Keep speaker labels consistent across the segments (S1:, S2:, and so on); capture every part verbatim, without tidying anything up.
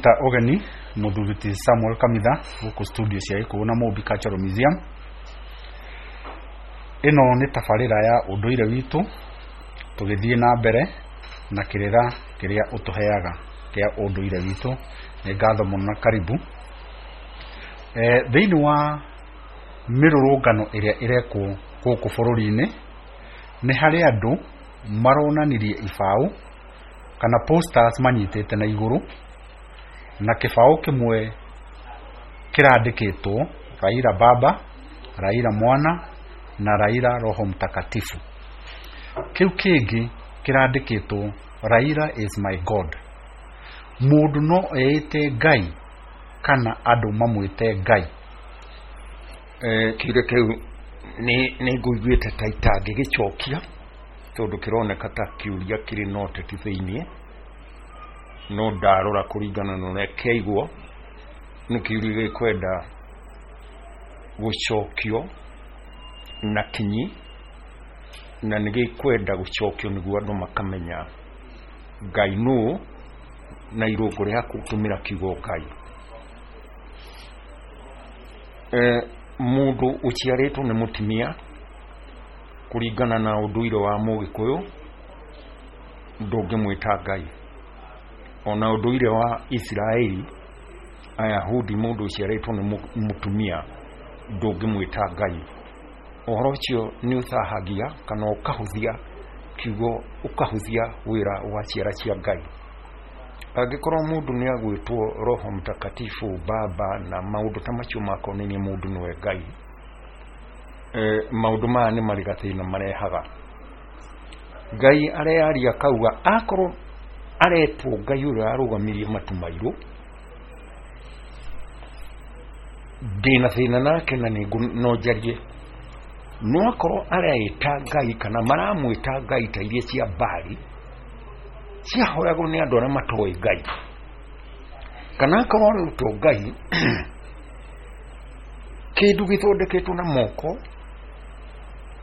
S1: Ta ũgeni mũthuri ti Samuel Kamitha gũkũ studio cia Gĩkũyũ na Mũmbi Cultural Museum. Ĩno nĩ tabarĩra ya ũndũire witũ, tũgĩthiĩ na mbere na kĩrĩra kĩrĩa ũtũheaga kĩa ũndũire witũ. Nĩ ngatho mũno na karibu. E, thĩinĩ wa mĩrũrũngano ĩrĩa ĩrekwo gũkũ bũrũri-inĩ, nĩ harĩ andũ maronanirie ibaũ kana posters manyitĩte na igũrũ, na kĩbaũ kĩmwe kĩrandĩkĩtwo Raila Baba, Raila Mwana na Raila Roho Mtakatifu. Kĩu kĩngĩ kĩrandĩkĩtwo Raila is my God. Mũndũ no eĩte Ngai kana andũ mamwĩte Ngai?
S2: Kĩũria kĩu nĩ ngũiguĩte ta itangĩgĩcokia, tondũ kĩroneka ta kĩũria kĩrĩ na ũteti thĩiniĩ, no ndarora kũringana na ũrĩa kĩaigwo nĩ kĩũria gĩkwenda gũcokio na kinyi, na nĩ gĩkwenda gũcokio nĩguo andũ makamenya Ngai nũ na irũngo rĩa gũtũmĩra kiugo Ngai. E, mũndũ ũciarĩtwo nĩ mũtumia kũringana na ũndũire wa Mũgĩkũyũ ndũngĩmwĩta Ngai. Ona ũndũire wa Isiraeli Ayahudi, mũndũ ũciarĩtwo nĩ mũtumia ndũngĩmwĩta Ngai. Ũhoro ũcio nĩ ũthahagia kana ũkahũthia kiugo, ũkahũthia wĩra wa ciara cia Ngai. Angĩkorwo mũndũ nĩ agwĩtwo Roho Mtakatifu, Baba na maũndũ ta macio makonainie mũndũ nĩwe Ngai, e, maũndũ maya nĩ marĩ gathĩna marehaga. Ngai arearia akauga akorwo aretwo Ngai ũrĩa arũgamirie matu mairũ, ndĩna thĩna nake na no njarie. No akorwo areĩta Ngai kana maramwĩta Ngai ta iria cia Bali ciahoyagwo nĩ andũ arĩa matoĩ Ngai, kana akorwo aretwo Ngai kĩndũ gĩthondeketwo na moko,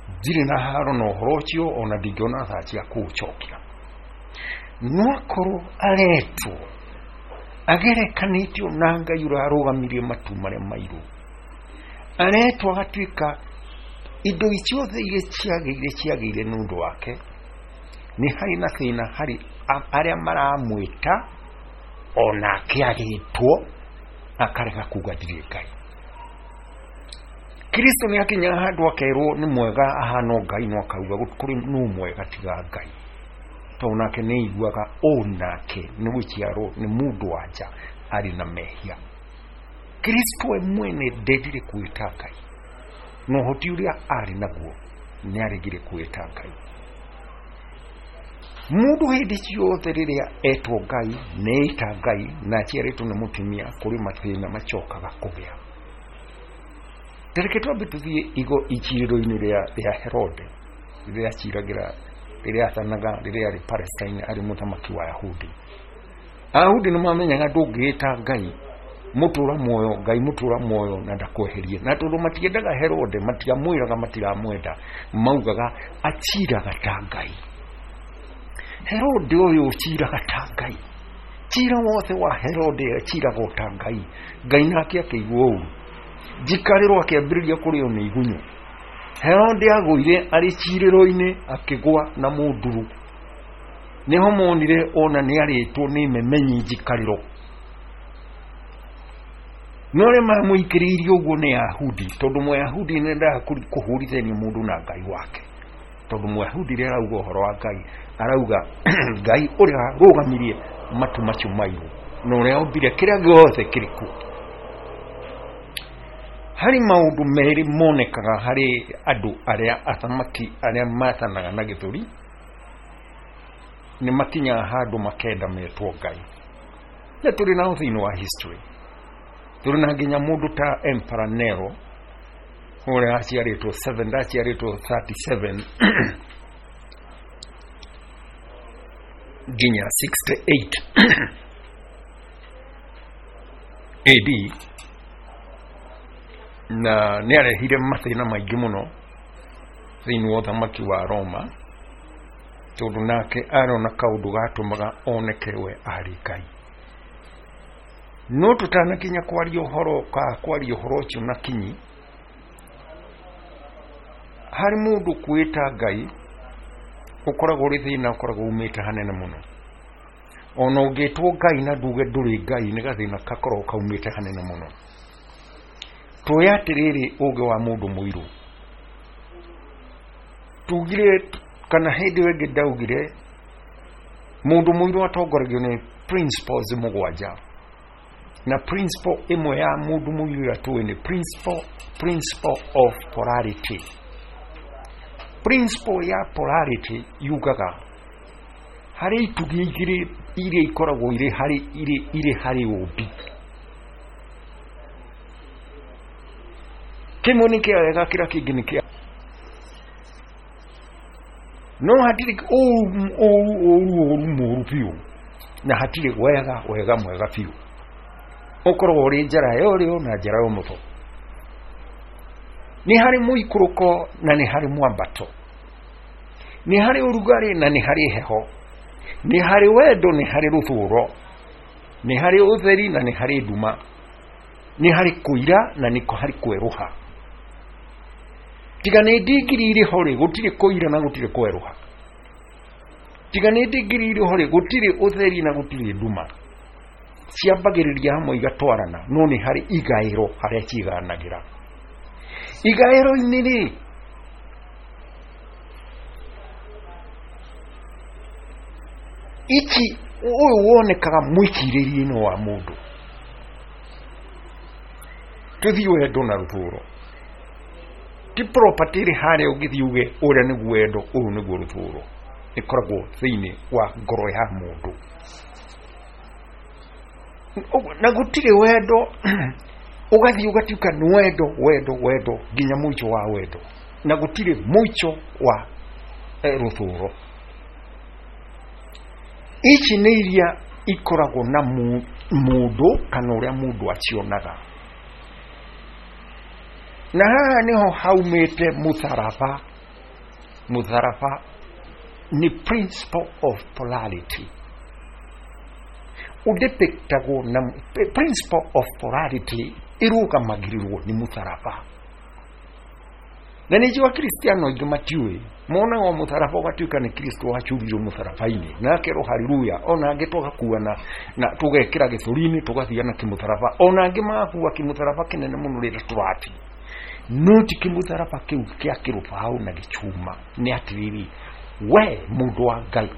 S2: ndirĩ na haro na ũhoro ũcio, ona ndingĩona thaa cia kũũcokia. No akorwo aretwo agerekanĩtio na Ngai ũrĩa arũgamirie matu marĩa mairũ, aretwo agatuĩka indo ciothe iria ciagĩire ciagĩire nĩ ũndũ wake, nĩ harĩ na thĩna harĩ arĩa maramwĩta onake agĩtwo akarega kuga ndirĩ Ngai. Kristo nĩ akinyaga handũ akerwo nĩ mwega ahana Ngai, no akauga kũrĩ nũ mwega tiga Ngai, tondũ nake nĩ aiguaga onake nĩ gũciarwo nĩ mũndũ wa nja arĩ na mehia. Kristo we mwene ndendire kwĩta Ngai, na ũhoti ũrĩa arĩ naguo nĩ aregire kwĩta Ngai. Mũndũ hĩndĩ ciothe rĩrĩa etwo Ngai, nĩ ĩta Ngai na aciarĩtwo nĩ mũtumia, kũrĩ mathĩna macokaga kũgĩa. Tareke twambe tũthiĩ igo icirĩro-inĩ rĩa rĩa Herode, rĩrĩa aciragĩra, rĩrĩa athanaga, rĩrĩa arĩ Palestine arĩ mũthamaki wa Ayahudi. Ayahudi nĩ mamenyaga ndũngĩĩta Ngai mũtũra muoyo, Ngai mũtũra muoyo na ndakweherie. Na tondũ matiendaga Herode, matiamwĩraga matiramwenda, maugaga aciraga ta Ngai. Herode ũyũ ũciraga ta Ngai, cira wothe wa Herode aciraga ta Ngai. Ngai nake akĩigua ũru, njikarĩro akĩambĩrĩria kũrĩo nĩ igunyũ. Herode agũire arĩ cirĩro-inĩ akĩgwa na mũnduru. Nĩho monire ona nĩ arĩtwo nĩ memenyi njikarĩro. No arĩa mamũikĩrĩirie ũguo nĩ Ayahudi, tondũ Mũyahudi nĩ endaga kũhũrithania mũndũ na Ngai wake. Tondũ Mũyahudi rĩrĩa arauga ũhoro wa Ngai, arauga Ngai ũrĩa arũgamirie matu macio mairũ na ũrĩa ombire kĩrĩa gĩothe kĩrĩ kuo. Harĩ maũndũ merĩ monekaga harĩ andũ arĩa athamaki arĩa mathanaga na gĩthũri, nĩ makinyaga handũ makenda metwo Ngai. Na tũrĩ nao thĩinĩ wa history, tũrĩ na nginya mũndũ ta Emperor Nero ũrĩa aciarĩtwo seven, aciarĩtwo thirty-seven nginya sixty-eight A D, na nĩ arehire mathĩna maingĩ mũno thĩinĩ wa ũthamaki wa Roma, tondũ nake arona kaũndũ gatũmaga oneke we arĩ Ngai. No tũtanakinya kwaria ũhoro ka kwaria ũhoro ũcio na kinyi, harĩ mũndũ kwĩta Ngai ũkoragwo ũrĩ thĩna ũkoragwo umĩte hanene mũno. Ona ũngĩtwo Ngai na nduge ndũrĩ Ngai nĩ gathĩna gakoragwo kaumĩte hanene mũno. Tuoye atĩrĩrĩ ũgĩ wa mũndũ mũirũ, tugire kana hĩndĩ ĩyo ĩngĩ ndaugire mũndũ mũirũ atongoragio nĩ principles mũgwanja, na principle ĩmwe ya mũndũ mũirũ ĩrĩa tũĩ nĩ principle, principle of polarity. Principle ya polarity yugaga harĩ itugĩ igĩrĩ iria ikoragwo irĩ harĩ irĩ irĩ harĩ ũmbi, kĩmwe nĩ kĩa wega kĩrĩa kĩngĩ nĩ kĩa no hatirĩ ũru ũru ũru ũru mũru biũ na hatirĩ wega wega mwega biũ. Ũkoragwo ũrĩ njara ya ũrĩo na njara ya ũmotho, nĩ harĩ mũikũrũko na nĩ harĩ mwambato, nĩ harĩ ũrugarĩ na nĩ harĩ heho, nĩ harĩ wendo nĩ harĩ rũthũro, nĩ harĩ ũtheri na nĩ harĩ nduma, nĩ harĩ kũira na nĩ harĩ kwerũha. Tiga nĩ ndigiri irĩ ho rĩ, gũtirĩ kũira na gũtirĩ kwerũha. Tiga nĩ ndigiri irĩ ho rĩ, gũtirĩ ũtheri na gũtirĩ nduma. Ciambagĩrĩria hamwe igatwarana, no nĩ harĩ igaĩro harĩa ciganagĩra. Igaĩro-inĩ rĩ, ici ũyũ wonekaga mwĩcirĩrie-inĩ wa mũndũ. Tũthiĩ wendo na rũthũro, ti property ĩrĩ harĩa ũngĩthiĩ uge ũrĩa nĩguo wendo, ũyũ nĩguo rũthũro. Ĩkoragwo thĩinĩ wa ngoro ya mũndũ, na gũtirĩ wendo ũgathiĩ ũgatuĩka nĩ wendo wendo wendo nginya mũico wa wendo, na gũtirĩ mũico wa rũthũro. Ici nĩ iria ikoragwo na mũndũ kana ũrĩa mũndũ acionaga, na haha nĩho haumĩte mũtharaba. Mũtharaba nĩ principle of polarity, ũdepictagwo na principle of polarity ĩrũgamagĩrĩrwo nĩ mũtharaba. Na nĩ njũĩ Akristiano aingĩ matiũĩ, monaga mũtharaba ũgatuĩka nĩ Kristo wacurirwo mũtharaba-inĩ na akerwo haleluya, ona angĩ tũgakua na, na tũgekĩra gĩthũri-inĩ tũgathiĩ na kĩmũtharaba, ona angĩ magakua kĩmũtharaba kĩnene mũno rĩrĩa tũrathiĩ. No ti kĩmũtharaba kĩu kĩa kĩrũbaũ na gĩchuma. Nĩ atĩrĩrĩ, we mũndũ wa Ngai,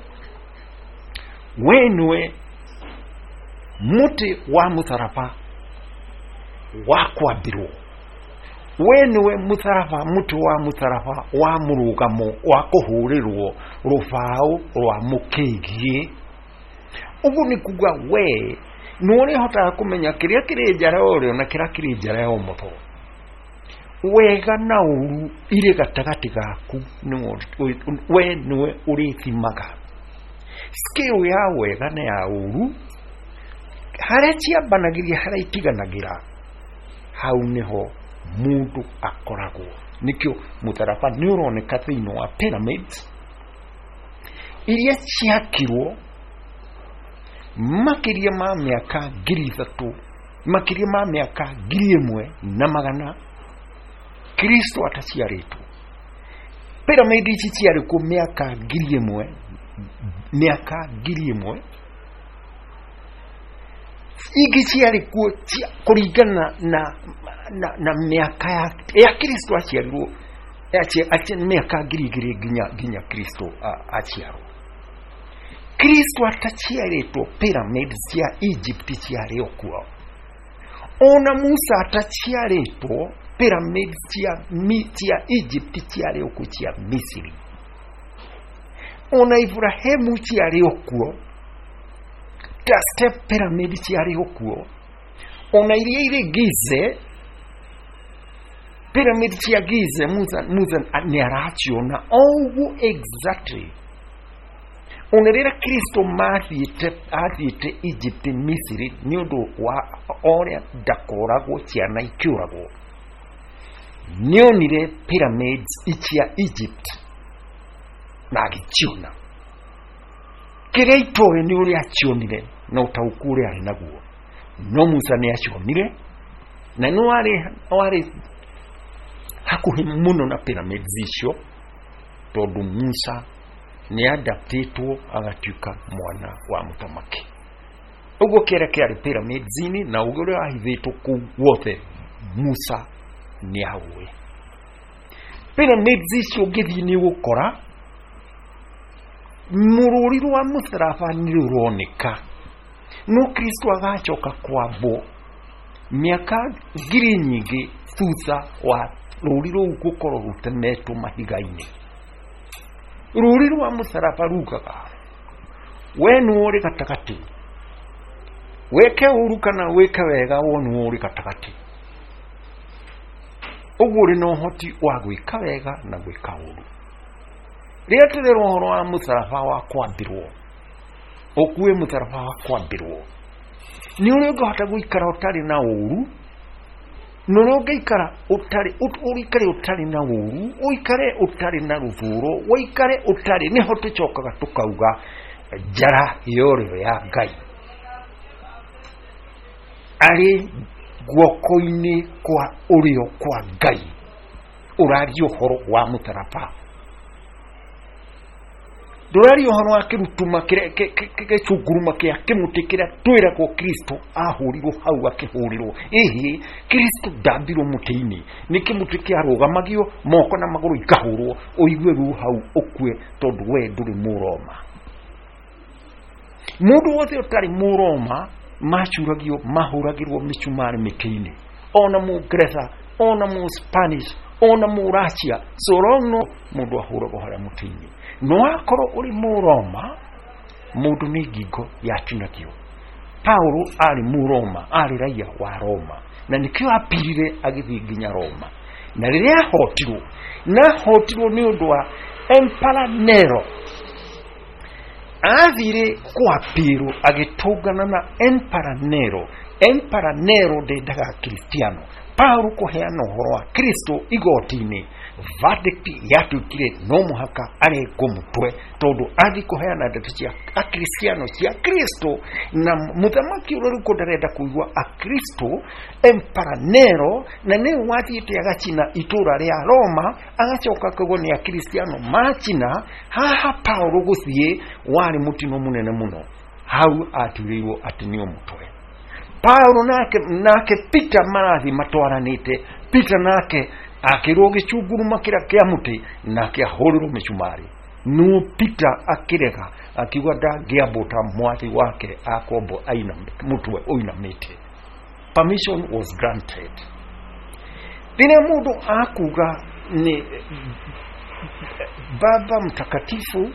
S2: we nĩwe mũtĩ wa mũtharaba wa kwambĩrwo, we nĩwe mũtharaba, mũtĩ wa mũtharaba wa mũrũgamo wa kũhũrĩrwo rũbaũ rwa mũkĩgiĩ. Ũguo nĩ kuga we nĩ ũrĩhotaga kũmenya kĩrĩa kĩrĩ njara ya ũrĩo na kĩrĩa kĩrĩ njara ya ũmotho. Wega na ũru irĩ gatagatĩ gaku, we nĩwe ũrĩthimaga scale ya wega na ya ũru, harĩa ciambanagĩria harĩa itiganagĩra, hau nĩho mũndũ akoragwo. Nĩkĩo mũtharaba nĩ ũroneka thĩinĩ wa pyramids iria ciakirwo makĩria ma mĩaka ngiri ithatũ, makĩria ma mĩaka ngiri ĩmwe na magana Kristo ataciarĩtwo. Pyramid ici ciarĩ kuo mĩaka ngiri ĩmwe, mĩaka ngiri ĩmwe, ingĩ ciarĩ kuo kũringana na, na, na mĩaka ya, ya Kristo aciarirwo mĩaka ngiri igĩrĩ nginya nginya Kristo aciarwo. Kristo ataciarĩtwo pyramid cia Egypt ciarĩ o kuo. Ona Musa ataciarĩtwo pyramid cia, cia Egypt ciarĩ o kuo, cia Misiri. Ona Ibrahimu ciarĩ o kuo, ta step pyramid ciarĩ o kuo. Ona iria irĩ Gize, pyramid cia Gize, Musa, Musa nĩ araciona o ũguo exactly. Ona rĩrĩa Kristo mathiĩte athiĩte Egypt Misiri nĩ ũndũ wa ũrĩa ndakoragwo ciana ikĩũragwo, nĩonire pyramids cia Egypt na agĩciona. Kĩrĩa itoĩ nĩ ũrĩa acionire na ũtaũku ũrĩa arĩ naguo. No Musa nĩ acionire na nĩ warĩ warĩ hakuhĩ mũno na pyramids icio, tondũ Musa nĩ adaptĩtwo agatuĩka mwana wa mũthamaki. Ũguo kĩrĩa kĩarĩ pyramids-inĩ na ũguo ũrĩa wahithĩtwo kũu guothe Musa nĩ aũĩ. Pyramids icio ũngĩthiĩ nĩ ũgũkora mũrũri rwa mũtharaba nĩ rũroneka, no Kristo agacoka kwambwo mĩaka ngiri nyingĩ thutha wa rũri rũu gũkorwo rũtemetwo mahiga-inĩ. Rũri rwa mũtharaba rugaga we nĩwe ũrĩ gatagatĩ, wĩke ũru kana wĩke wega, wo nĩwe ũrĩ gatagatĩ. Ũguo ũrĩ na ũhoti wa gwĩka wega na gwĩka ũru. Rĩrĩa tũrerwo ũhoro wa mũtharaba wa kwambĩrwo, ũkue mũtharaba wa kwambĩrwo, nĩ ũrĩa ũngĩhota gũikara ũtarĩ na ũru, na ũrĩa ũngĩikara ũtarĩ ũikare ũtarĩ na ũru, ũikare ũtarĩ na rũthũro, ũikare ũtarĩ, nĩho tũcokaga tũkauga njara ya ũrĩo ya Ngai arĩ guoko-inĩ kwa ũrĩo kwa Ngai. Ũraria ũhoro wa mũtharaba, ndũraria ũhoro wa kĩrutuma gĩcunguruma kĩa kĩmũtĩ kĩrĩa twĩragwo Kristo ahũrirwo hau akĩhũrĩrwo. Ĩhĩ, Kristo ndambirwo mũtĩ-inĩ, nĩ kĩmũtĩ kĩarũgamagio moko na magũrũ ikahũrwo, ũigue ruo hau ũkue, tondũ we ndũrĩ Mũroma. Mũndũ wothe ũtarĩ Mũroma macuragio, mahũragĩrwo mĩcumarĩ mĩtĩ-inĩ, ona Mũngeretha, ona Mũspanish, ona Mũracia, so long no mũndũ ahũragwo harĩa mũtĩ-inĩ. No akorwo ũrĩ Mũroma, mũndũ nĩ ngingo yatinagio. Paulo arĩ Mũroma, arĩ raia wa Roma, na nĩkĩo apirire agĩthiĩ nginya Roma. Na rĩrĩa ahotirwo, na ahotirwo nĩ ũndũ wa Emperor Nero, athire kwapirwo agĩtũngana na Emperor Nero. Emperor Nero ndendaga Kristiano. Paulo kũheana ũhoro wa Kristo igoti-inĩ, verdict yatuĩkire no mũhaka arengwo mũtwe, tondũ athiĩ kũheana ndeto cia Akristiano cia Kristo, na mũthamaki ũrĩa ũrĩ kuo ndarenda kũigua Akristo. Emperor Nero na nĩwe wathiĩte agacina itũra rĩa Roma, agacoka akauga nĩ Akristiano macina. Haha Paulo gũthiĩ warĩ mũtino mũnene mũno, hau atuĩrĩirwo atĩ nĩ mũtwe. Paulo nake nake Peter marathi matwaranĩte, Peter nake akĩrwo gĩcunguruma kĩrĩa kĩa mũtĩ, nake ahũrĩrwo mĩcumarĩ. No Peter akĩrega, akiuga ndangĩambwo ta mwathi wake akwambwo aina mũtwe ũinamĩte. Permission was granted. Rĩrĩa mũndũ akuga nĩ Baba Mtakatifu,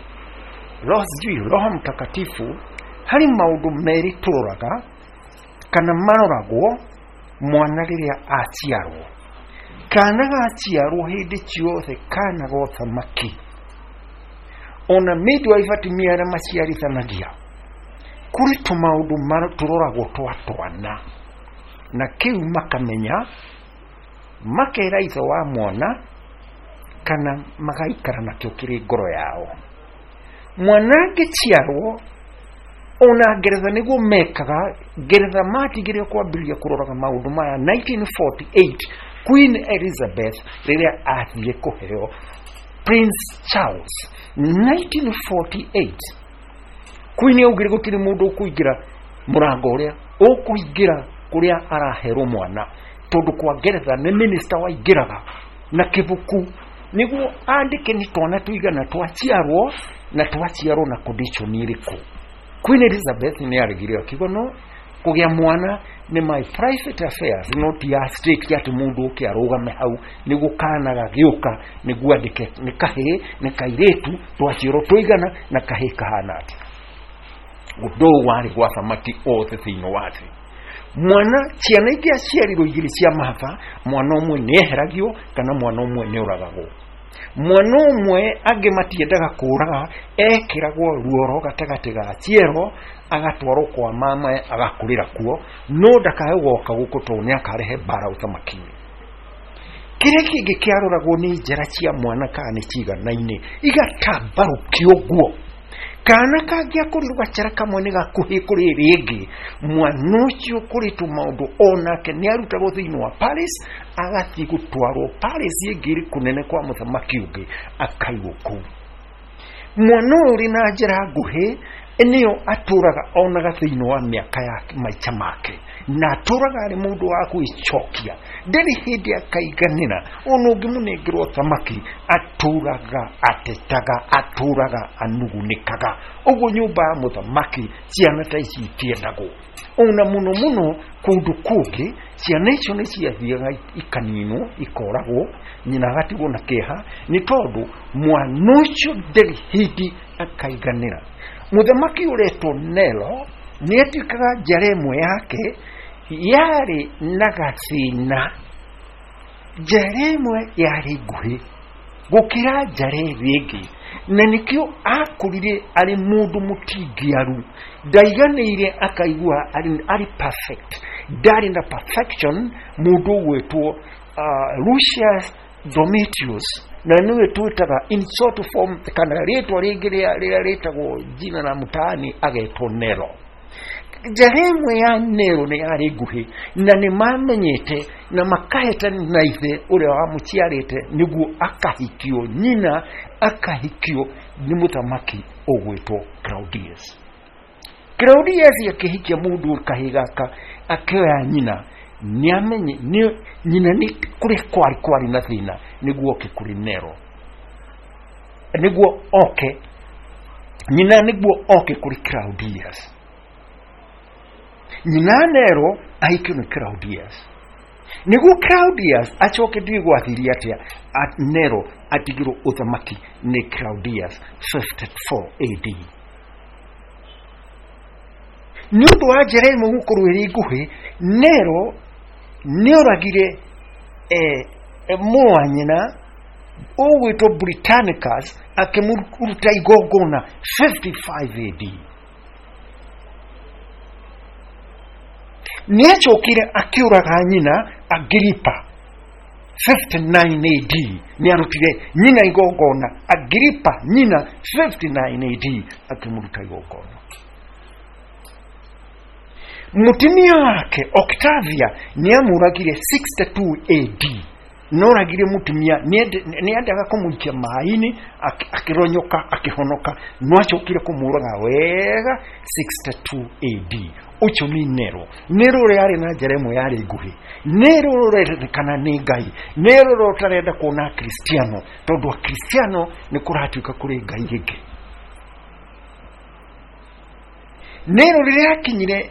S2: Roho sijui Roho Mtakatifu, harĩ maũndũ merĩ tũroraga kana maroragwo mwana rĩrĩa aciarwo. Kana gaciarwo hĩndĩ ciothe kana gothamaki, ona midwife atumia arĩa maciarithanagia, kũrĩ tũmaũndũ tũroragwo twa twana, na kĩu makamenya, makera ithe wa mwana kana magaikara nakĩo kĩrĩ ngoro yao. Mwana angĩciarwo, ona Ngeretha nĩguo mekaga. Ngeretha matigire kwambĩrĩria kũroraga maũndũ maya nineteen forty-eight, Queen Elizabeth rĩrĩa athire kũheo Prince Charles nineteen forty-eight. Queen augire gũtirĩ mũndũ ũkũingĩra mũrango ũrĩa ũkũingĩra kũrĩa araherwo mwana, tondũ kwa Ngeretha nĩ minister waingĩraga na kĩbuku nĩguo andĩke nĩ twana tũigana twaciarwo na twaciarwo na condition ĩrĩkũ. Queen Elizabeth nĩ aregire akiuga no kũgĩa mwana nĩ my private affairs, not ya state, atĩ mũndũ ũke arũgame hau nĩguo kana gagĩũka nĩguo andĩke nĩ kahĩĩ nĩ kairĩtu twaciarwo tũigana na kahĩĩ kahana atĩa. Ũndũ ũyũ warĩ gwa thamaki othe thĩinĩ wa thĩ. Mwana ciana ingĩ aciarirwo igĩrĩ cia mahatha, mwana ũmwe nĩ eheragio kana mwana ũmwe nĩ ũragagwo. Mwana ũmwe angĩ matiendaga kũraga, ekĩragwo ruoro gatagatĩ ga ciero, agatwarwo kwa mama agakũrĩra kuo, no ndakae gũgoka gũkũ tondũ nĩ akarehe mbara ũthamaki-inĩ. Kĩrĩa kĩngĩ kĩaroragwo nĩ njara cia mwana kana nĩ ciganaine, igatambarũkio ũguo, Kana kangĩakũrirwo gachara kamwe nĩ gakuhĩ kũrĩ ĩrĩa ĩngĩ, mwana ũcio ũkũrĩtwo maũndũ onake nĩ arutagwo thĩinĩ wa Paris, agathiĩ gũtwarwo Paris ĩngĩ ĩrĩ kũnene kwa mũthamaki ũngĩ, akaigwo kũu. Mwana ũyũ ũrĩ na njĩra nguhĩ nĩyo atũraga onaga thĩinĩ wa mĩaka ya maica make, na atũraga arĩ mũndũ wa gwĩcokia, ndarĩ hĩndĩ akaiganĩra. Ona ũngĩmũnengerwo thamaki atũraga atetaga, atũraga anugunĩkaga. Ũguo nyũmba ya mũthamaki ciana ta ici itiendagwo. Ona mũno mũno kũndũ kũngĩ ciana icio nĩ ciathiaga ikaninwo, ikoragwo, nyina agatigwo na kĩeha nĩ tondũ mwana ũcio ndarĩ hĩndĩ akaiganĩra. Mũthamaki ũretwo Nero nĩ atuĩkaga njara ĩmwe yake yarĩ na gathĩna. Njara ĩmwe yarĩ nguhĩ gũkĩra njara ĩrĩa ĩngĩ, na nĩkĩo akũrire arĩ mũndũ mũtingiaru, ndaiganĩire akaigua arĩ, arĩ perfect, ndarĩ na perfection. Mũndũ ũgwĩtwo uh, Lucius Domitius, na nĩwe twĩtaga in short form, kana rĩtwa rĩngĩ rĩrĩa rĩtagwo jina la mtaani agetwo Nero. Njara ĩmwe ya Nero nĩ yarĩ nguhĩ, na nĩ mamenyete na makahĩtana na ithe ũrĩa wamũciarĩte nĩguo akahikio nyina, akahikio nĩ mũthamaki ũgwĩtwo Claudius. Claudius akĩhikia mũndũ kahĩ gaka akĩoya nyina, nĩamenye nĩ nyina nĩ kũrĩa kwarĩ kwarĩ na thĩna nĩguo oke kũrĩ Nero, nĩguo oke nyina, nĩguo oke kũrĩ Claudius. Nyina Nero ahikio nĩ Claudius, nĩguo Claudius acoke ndiũĩ gwathirie atĩa, Nero atigirwo ũthamaki nĩ Claudius fifty-four A D. Nĩ ũndũ wa njĩra ĩmwe gũkorwo ĩrĩ nguhĩ, Nero nĩoragire eh, mũrũ wa nyina ũgwĩtwo Britannicus, akĩmũruta igongona fifty-five A D. Nĩacokire akĩũraga nyina Agripa fifty-nine A D. Nĩarutire nyina igongona Agripa nyina fifty-nine A D, akĩmũruta igongona. Mũtumia wake Octavia nĩamũragire sixty-two A D. Noragire mũtumia, nĩendaga kũmũikia maĩ-inĩ, akĩronyoka akĩhonoka, no acokire kũmũraga wega sixty-two A D. Ũcio nĩ Nero. Nero ũrĩa arĩ na njĩra ĩmwe yarĩ nguhĩ, Nero ũrerĩkana nĩ Ngai, Nero ũrĩa ũtarenda kuona Akristiano, tondũ Akristiano nĩ kũratuĩka kũrĩ Ngai ĩngĩ. Nero rĩrĩa akinyire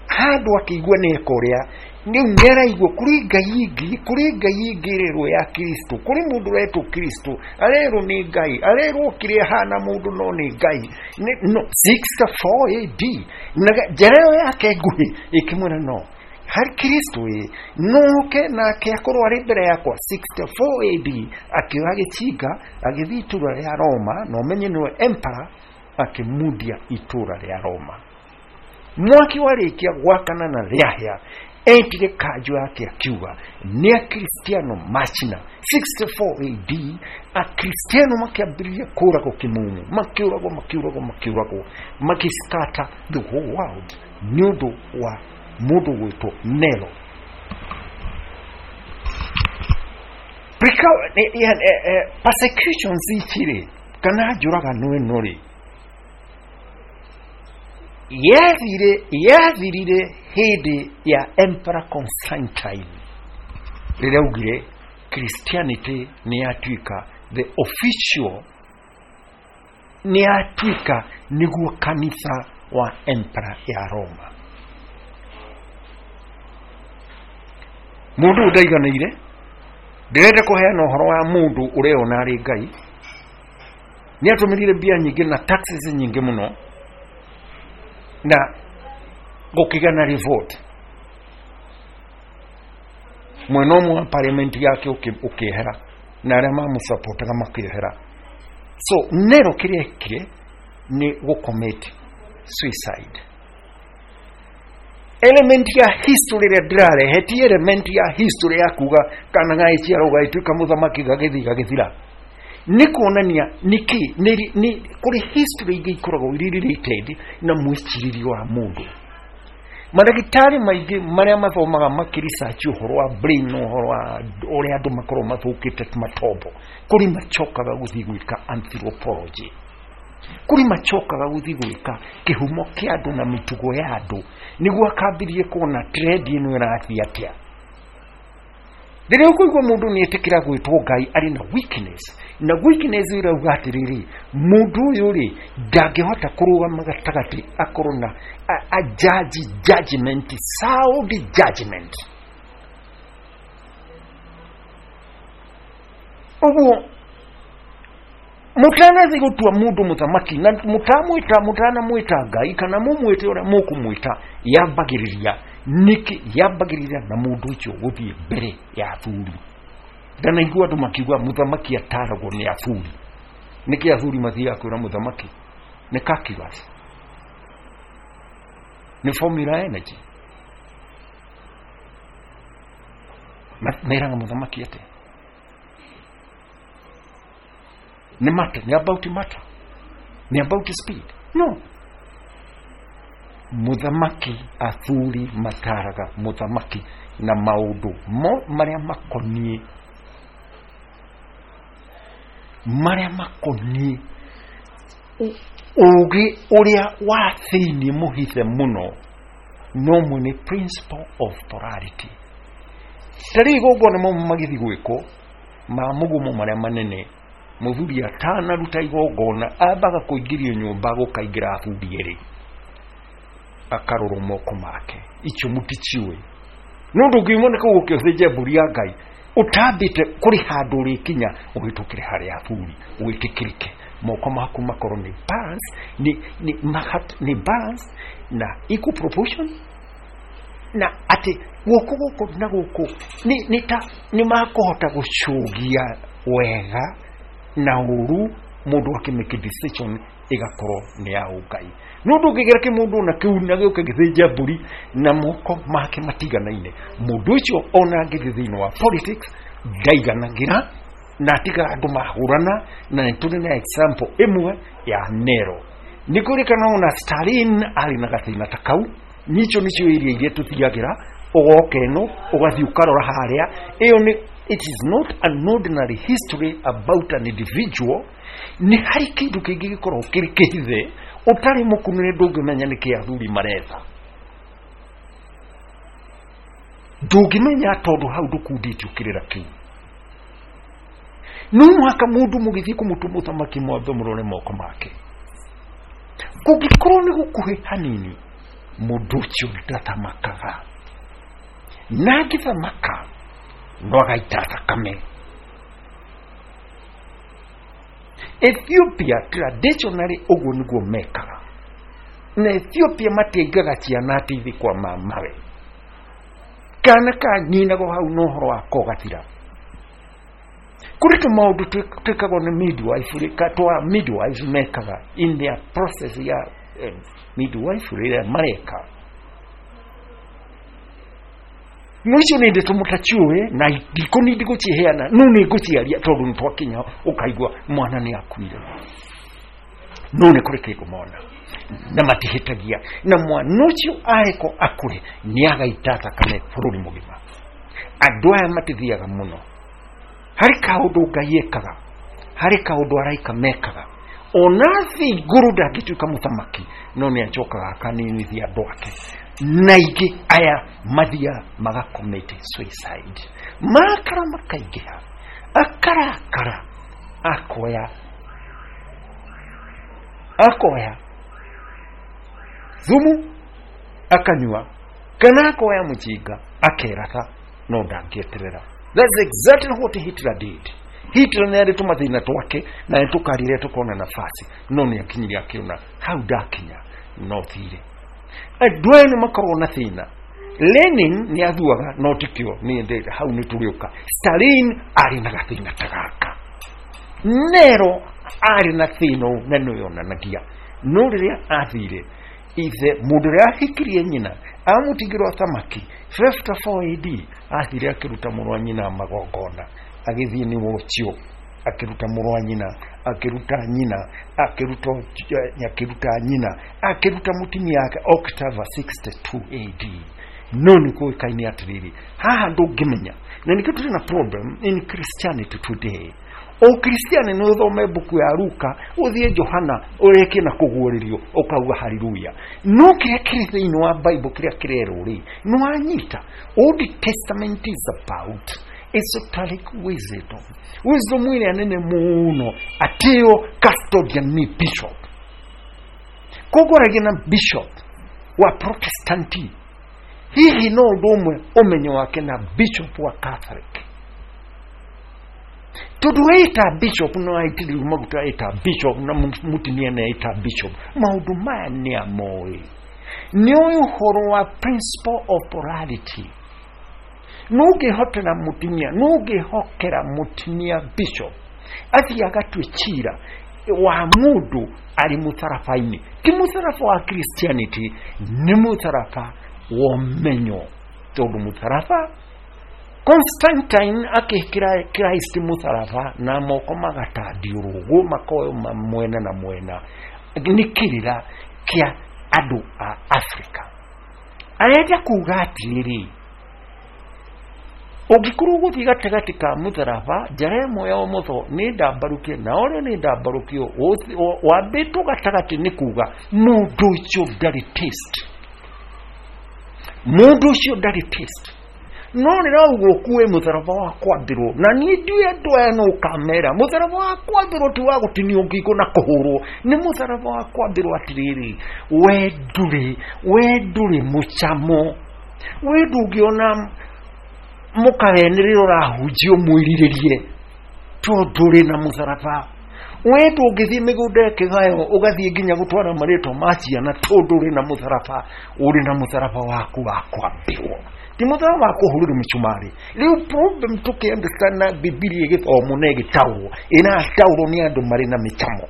S2: handũ akĩigua nĩ eka ũrĩa, rĩu nĩaraigua kũrĩ Ngai ĩngĩ, kũrĩ Ngai ĩngĩ ĩrerwo ya Kristo, kũrĩ mũndũ ũretwo Kristo, arerwo nĩ Ngai, arerwo kĩrĩa ahana mũndũ no nĩ Ngai. No, sixty-four A D. Na njĩra ĩyo yake nguhĩ ĩkĩmwĩra no harĩ Kristo ĩ noke nake akorwo arĩ mbere yakwa. sixty-four A D akĩoya gĩcinga agĩthiĩ itũũra rĩa Roma, na ũmenye nĩwe emperor, akĩmundia itũũra rĩa Roma. Mwaki warĩkia gwakana na rĩahĩa, etire kanjũ yake akiuga nĩ Akristiano macina. sixty-four A D Akristiano makĩambĩrĩria kũragwo kĩmumu, makĩũragwo makĩũragwo makĩũragwo, makĩscatter the whole world nĩ ũndũ wa mũndũ gwĩtwo Nero. Persecutions ici rĩ, kana njũragano ĩno rĩ, yathire yathirire hĩndĩ ya Emperor Constantine, rĩrĩa augire Christianity nĩ yatuĩka the official, nĩ yatuĩka nĩguo kanitha wa Emperor ya Roma. Mũndũ ũndaiganĩire, ndĩrenda kũheana ũhoro wa mũndũ ũreona arĩ Ngai, nĩ atũmĩrire mbia nyingĩ na taxes nyingĩ mũno, na gũkĩgĩa na revolt. Mwena ũmwe wa parliament yake ũkĩehera, na arĩa mamũsupportaga makĩehera. So Nero kĩrĩa ekire nĩ gũcommit suicide. Element ya history ĩrĩa ndĩrarehe ti element ya history ya kuga kana gagĩciarwo gagĩtuĩka mũthamaki gagĩthiĩ gagĩthira. Nĩ kuonania nĩkĩ nĩ kũrĩ history ingĩ ikoragwo irĩ related na mwĩcirĩrie wa mũndũ. Mandagĩtarĩ maingĩ marĩa mathomaga makĩresearch ũhoro wa brain na ũhoro wa ũrĩa andũ makoragwo mathũkĩte matombo, kũrĩ macokaga gũthiĩ gwĩka anthropology, kũrĩ macokaga gũthiĩ gwĩka kĩhumo kĩa andũ na mĩtugo ya andũ, nĩguo akambĩrĩrie kuona trend ĩno ĩrathiĩ atĩa. Rĩrĩa ũkũigua mũndũ nĩ etĩkĩra gwĩtwo Ngai arĩ na weakness, na weakness ĩrauga atĩrĩrĩ, mũndũ ũyũ rĩ ndangĩhota kũrũgama gatagatĩ akorwo na a, a judge judgment, sound judgment. Ũguo mũtanathiĩ gũtua mũndũ mũthamaki na mũtamwĩta mũtanamwĩta Ngai kana mũmwĩte ũrĩa mũkũmwĩta, yambagĩrĩria nĩkĩ? Yambagĩrĩria na mũndũ ũcio gũthiĩ mbere ya athuri. Ndanaigua andũ makiuga mũthamaki ataragwo nĩ athuri. Nĩkĩ athuri mathiaga kwĩra mũthamaki? Nĩ calculus, nĩ formula energy. Meraga mũthamaki atĩa? Nĩ matter, nĩ about matter, nĩ about speed. No, mũthamaki, athuri mataraga mũthamaki na maũndũ mo marĩa makoniĩ marĩa makoniĩ ũgĩ ũrĩa wa thĩinĩ mũhithe mũno, no mwene principle of polarity. Ta rĩu igongona mo magĩthiĩ gwĩkwo ma mũgumo marĩa manene, mũthuri atanaruta igongona ambaga kũingĩrio nyũmba gũkaingĩra athuri erĩ, akarorwo moko make, icio mũticiũĩ. No ndũngiuma nĩ kũu ũkĩthĩnja mbũri ya Ngai ũtambĩte kũrĩ handũ ũrĩkinya ũhĩtũkĩre harĩ athuri wĩtĩkĩrĩke, moko maku makorwo nĩ balance, nĩ nĩ nĩ balance na equal proportion, na atĩ guoko gũkũ na gũkũ nĩ nĩ ta nĩ makũhota gũcũgia wega na ũru, mũndũ akĩmake decision ĩgakorwo nĩ ya ũngai. No ndũngĩgera kĩmũndũ na kĩu na gĩũke gĩthĩnja mbũri na moko make matiganaine, mũndũ ũcio ona angĩthiĩ thĩinĩ wa politics ndaiganagĩra na atiga andũ mahũrana. Na nĩ tũrĩ na example ĩmwe ya Nero. Nĩ kũrĩkana ona Stalin arĩ na gathĩna ta kau. Nicio nĩcio iria iria tũthiagĩra, ũgoka ĩno ũgathiĩ ũkarora harĩa. Ĩyo nĩ, it is not an ordinary history about an individual. Nĩ harĩ kĩndũ kĩngĩ gĩkoragwo kĩrĩ kĩhithe ũtarĩ mũkunũre, ndũngĩmenya nĩkĩ athuri maretha, ndũngĩmenya tondũ hau ndũkundĩtio kĩrĩra kĩu. No mũhaka mũndũ mũgĩthiĩ kũmũtua mũthamaki mwambe mũrore moko make. Kũngĩkorwo nĩ gũkuhĩ hanini, mũndũ ũcio ndathamakaga, na angĩthamaka no agaita thakame. Ethiopia traditionally ũguo nĩguo mekaga, na Ethiopia matiaigaga ciana atĩ ithiĩ kwa mamawe, kana ka nyinagwo hau na ũhoro wako ũgathira. Kũrĩ tũmaũndũ twĩkagwo nĩ midwifery, twa midwives mekaga in their process ya eh, midwifery ĩrĩa mareka. No icio nĩ ndeto mũtaciũĩ na ndikũni ndigũciheana, no nĩ ngũciaria tondũ nĩ twakinya ũkaigua mwana nĩ akuire. No nĩ kũrĩ kĩndũ mona na matihĩtagia, na mwana ũcio arekwo akũre nĩ agaita thakame bũrũri mũgima. Andũ aya matithiaga mũno. Harĩ kaũndũ Ngai ekaga, harĩ kaũndũ araika mekaga. Ona thĩ igũrũ ndangĩtuĩka mũthamaki, no nĩ acokaga akaninithia andũ ake. Na ingĩ aya mathiaga magacommit suicide, marakara makaingĩha, akarakara akoya akoya thumu akanyua, kana akoya mũjinga akeratha, no ndangĩeterera. That's exactly what Hitler did. Hitler nĩ arĩ tũmathĩna twake na nĩ tũkarire tũkona nafasi, no nĩ akinyire akĩona hau ndakinya no thire. Andũ aya nĩ makoragwo na thĩna. Lenin nĩ athuaga no tikĩo nĩ endete hau nĩ tũrĩũka. Stalin arĩ na gathĩna ta gaka, Nero arĩ na thĩna na nĩ yonanagia. No rĩrĩa athire ithe mũndũ ũrĩa ahikirie nyina amũtigĩrwo thamaki fifty-four A D, athire akĩruta mũrũ wa nyina magongona, agĩthiĩ nĩ ũcio akĩruta mũrũ wa nyina, akĩruta nyina, akĩruta akĩruta nyina, akĩruta mũtumia wake October sixty-two A D. No nĩ kũĩkaine atĩrĩrĩ, haha ndũngĩmenya, na nĩkĩo tũrĩ na problem in Christianity today. Ũkristiani nĩ ũthome mbuku ya Luka, ũthiĩ Johana, ũrĩkie na kũguũrĩrio, ũkauga haleluya. No kĩrĩa kĩrĩ thĩinĩ wa Bible kĩrĩa kĩrerwo rĩ, nĩ wanyita. Old Testament is about esoteric wisdom. Wisdom ĩrĩa nene mũno, atĩo custodian nĩ bishop. Koguo aragia na bishop wa Protestanti, hihi no ũndũ ũmwe ũmenyo wake na bishop wa Catholic. Tondũ ĩta bishop no aitĩrĩrio maguta, ĩta bishop na mũtumia nĩ ĩta bishop, maũndũ maya nĩ amoĩ. Nĩ ũĩ ũhoro wa principle of polarity. No ũngĩhotera mũtumia, no ũngĩhokera mũtumia bishop athiĩ agatue cira wa mũndũ arĩ mũtharaba-inĩ. Ti mũtharaba wa Christianity, nĩ mũtharaba wa ũmenyo. Tondũ mũtharaba, Constantine akĩkĩra Christ mũtharaba na moko magatandiũrwo makoyo mwena na mwena, nĩ kĩrĩra kĩa andũ a Africa. Arenda kuga atĩrĩrĩ, ũngĩkorwo ũgũthiĩ gatagatĩ ka mũtharaba, njara ĩmwe ya ũmotho nĩ ndambarũkie na ũrĩa nĩ ndambarũkio, wambĩtwo gatagatĩ nĩ kuga mũndũ ũcio ndarĩ taste. Mũndũ ũcio ndarĩ taste. No rĩrauga ũkue mũtharaba wa kwambĩrwo, na niĩ ndiũĩ andũ aya no ũkamera mũtharaba wa kwambĩrwo ti wa gũtinio ngingo na kũhũrwo, nĩ mũtharaba wa kwambĩrwo atĩrĩrĩ, we ndũrĩ, we ndũrĩ mũcamo, we ndũngĩona mũkagenĩrĩra ũrahunjia ũmwĩrirĩrie tondũ ũrĩ na mũtharaba. We ndũngĩthiĩ mĩgũnda ya kĩgayo ũgathiĩ nginya gũtwara marĩtwa ma ciana tondũ ũrĩ na mũtharaba, ũrĩ na mũtharaba waku wa kwambĩrwo, ti mũtharaba wa kũhũrĩrwo mĩcumarĩ. Rĩu problem tũkĩ-understand na Bibilia ĩgĩthomwo na ĩgĩtaũrwo, ĩrataũrwo nĩ andũ marĩ na mĩcamo.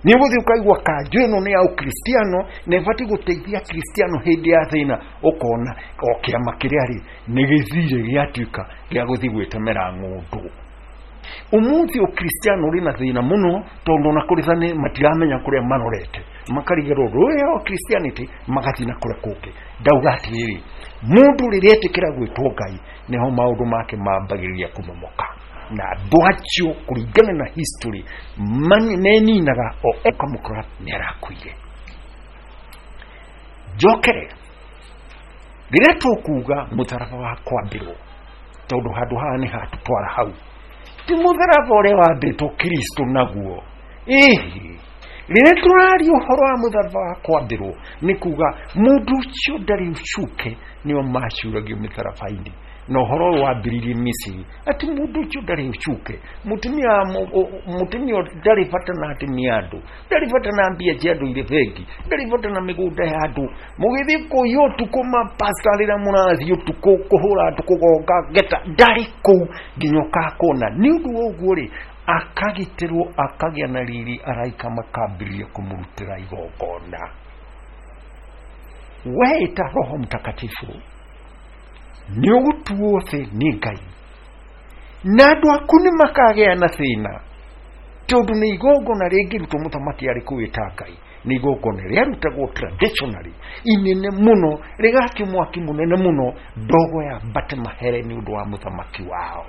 S2: Nĩ ũgũthiĩ ũkaigua kanjũ ĩno nĩ ya ũkristiano na ĩbatiĩ gũteithia kristiano hĩndĩ ya thĩna, ũkona o kĩama kĩrĩa rĩ nĩ gĩthire gĩatuĩka gĩa gũthiĩ gwĩtemera ng'ũndũ. Ũmũthĩ ũkristiano ũrĩ na thĩna mũno tondũ ona kũrĩ thani matiramenya kũrĩa marorete, makarigĩrwo rũĩ o Christianity magathiĩ na kũrĩa kũngĩ. Ndauga atĩrĩrĩ, mũndũ rĩrĩa etĩkĩra gwĩtwo Ngai nĩho maũndũ make mambagĩrĩria kũmomoka, na andũ acio kũringana na history meninaga o ũkamũkora nĩ arakuire. Njokere rĩrĩa tũkuga mũtharaba wa kwambĩrwo, tondũ handũ haha nĩ hatũtwara hau, ti mũtharaba ũrĩa wambĩtwo Kristo naguo. Ĩhĩ, rĩrĩa tũraria ũhoro wa mũtharaba wa kwambĩrwo nĩ kuga mũndũ ũcio ndarĩ ũcuke, nĩo maciũragio mĩtharaba-inĩ. Na ũhoro ũyũ wambĩrĩirie Misiri, atĩ mũndũ ũcio ndarĩ ũcuke, mũtumia mũtumia ndarĩ bata na atumia andũ, ndarĩ bata na mbia cia andũ irĩ bengi, ndarĩ bata na mĩgũnda ya andũ. Mũgĩthiĩ kũiya ũtukũ mapasta rĩrĩa mũrathiĩ ũtukũ kũhũra andũ kũgonga ngeta, ndarĩ kũu nginya ũkakona. Nĩ ũndũ wa ũguo rĩ, akagitĩrwo akagĩa na riri, araika makambĩrĩria kũmũrutĩra igongona. Weita Roho Mtakatifu nĩ ũgũtuo thĩ nĩ Ngai, na andũ aku nĩ makagĩa na thĩna, tondũ nĩ igongona rĩngĩrutwo mũthamaki arĩ kũwĩta Ngai, nĩ igongona rĩarutagwo traditionally inene mũno, rĩgakio mwaki mũnene mũno, ndogo ya mbate mahere nĩ ũndũ wa mũthamaki wao.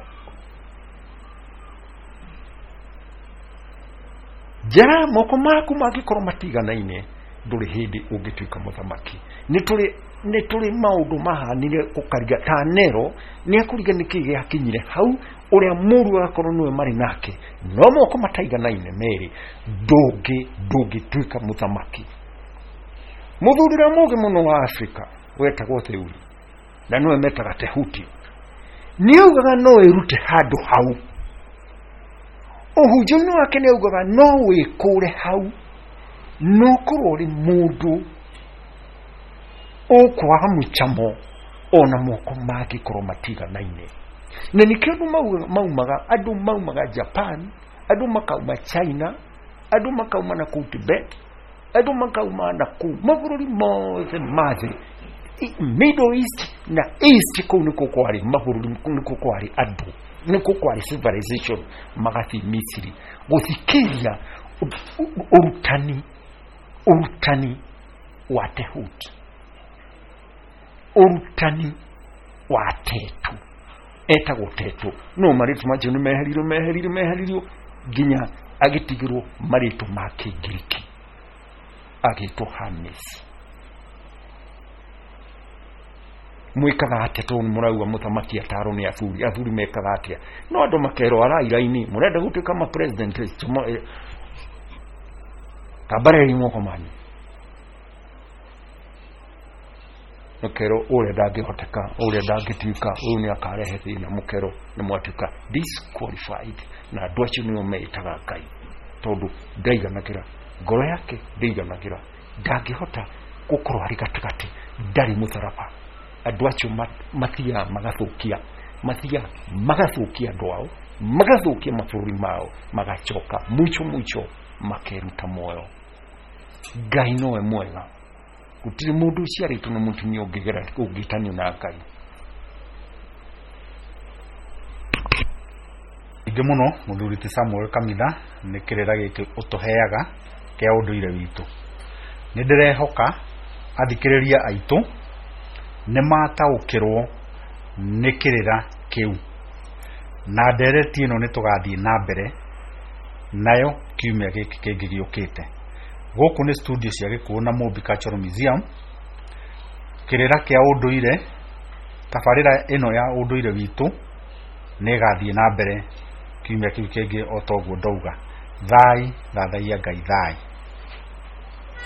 S2: Njara moko maku mangĩkorwo matiganaine, ndũrĩ hĩndĩ ũngĩtuĩka mũthamaki. Nĩ tũrĩ nĩ tũrĩ maũndũ mahanire ũkariga ta Nero nĩ akũriga nĩkĩ gĩakinyire hau, ũrĩa mũru agakorwo nĩwe marĩ nake, no moko mataiganaine merĩ, ndũngĩ ndũngĩtuĩka mũthamaki. Mũthuri ũrĩa mũũgĩ mũno wa Afrika wetagwo Theuri, na nĩwe metaga Tehuti, nĩaugaga no ĩrute handũ hau. Ũhunjio-inĩ wake nĩaugaga no wĩkũre hau, no ũkorwo ũrĩ mũndũ ũkwaga mũcamo ona moko mangĩkorwo matiganaine. Na nĩkĩo andũ maumaga, andũ maumaga Japan, andũ makauma China, andũ makauma na kũu Tibet, andũ makauma na kũu mabũrũri mothe ma thĩ, Middle East na East, kũu nĩkuo kwarĩ mabũrũri, nĩkuo kwarĩ andũ. Nĩkuo kwarĩ civilization. Magathiĩ Misiri gũthikĩria ũrutani, ũrutani wa Tehut, ũrutani wa Tetu, etagwo Tetu. No marĩtwa macio nĩ meheririo, meheririo, meheririo nginya agĩtigĩrwo marĩtwa ma Kĩngiriki, agĩtwo Hermes. Mwĩkaga atĩa tondũ nĩ mũrauga mũthamaki atarwo nĩ athuri? Athuri mekaga atĩa? No andũ makerwo arairaini, mũrenda gũtuĩka ma president, tambarĩrai moko manyu. Mũkerwo ũrĩa ndangĩhoteka, ũrĩa ndangĩtuĩka, ũyũ nĩ akarehe thĩna. Mũkerwo nĩ mwatuĩka disqualified. Na andũ acio nĩo meĩtaga Ngai, tondũ ndaiganagĩra ngoro yake, ndaiganagĩra, ndangĩhota gũkorwo arĩ gatagatĩ, ndarĩ mũtharaba. Andũ acio mathiaga magathũkia, mathiaga magathũkia andũ ao, magathũkia mabũrũri mao, magacoka mwicho mwicho makeruta muoyo. Ngai nowe mwega. Gũtirĩ mũndũ ũciarĩtwo nĩ mũtumia ũngĩgera ũngĩtanio na Ngai.
S1: Ingĩ mũno mũthuri ti Samuel Kamitha nĩ kĩrĩra gĩkĩ ũtũheaga kĩa ũndũire witũ. Nĩ ndĩrehoka athikĩrĩria aitũ nĩ mataũkĩrwo nĩ kĩrĩra kĩu, na ndereti ĩno nĩ tũgathiĩ na mbere nayo kiumia gĩkĩ kĩngĩ gĩũkĩte. Gũkũ nĩ studio cia Gĩkũyũ na Mũmbi Cultural Museum. Kĩrĩra kĩa ũndũire, tabarĩra ĩno ya ũndũire witũ nĩ ĩgathiĩ na mbere kiumia kĩu kĩngĩ o ta ũguo ndauga. Thai, thathaiya Ngai, thai.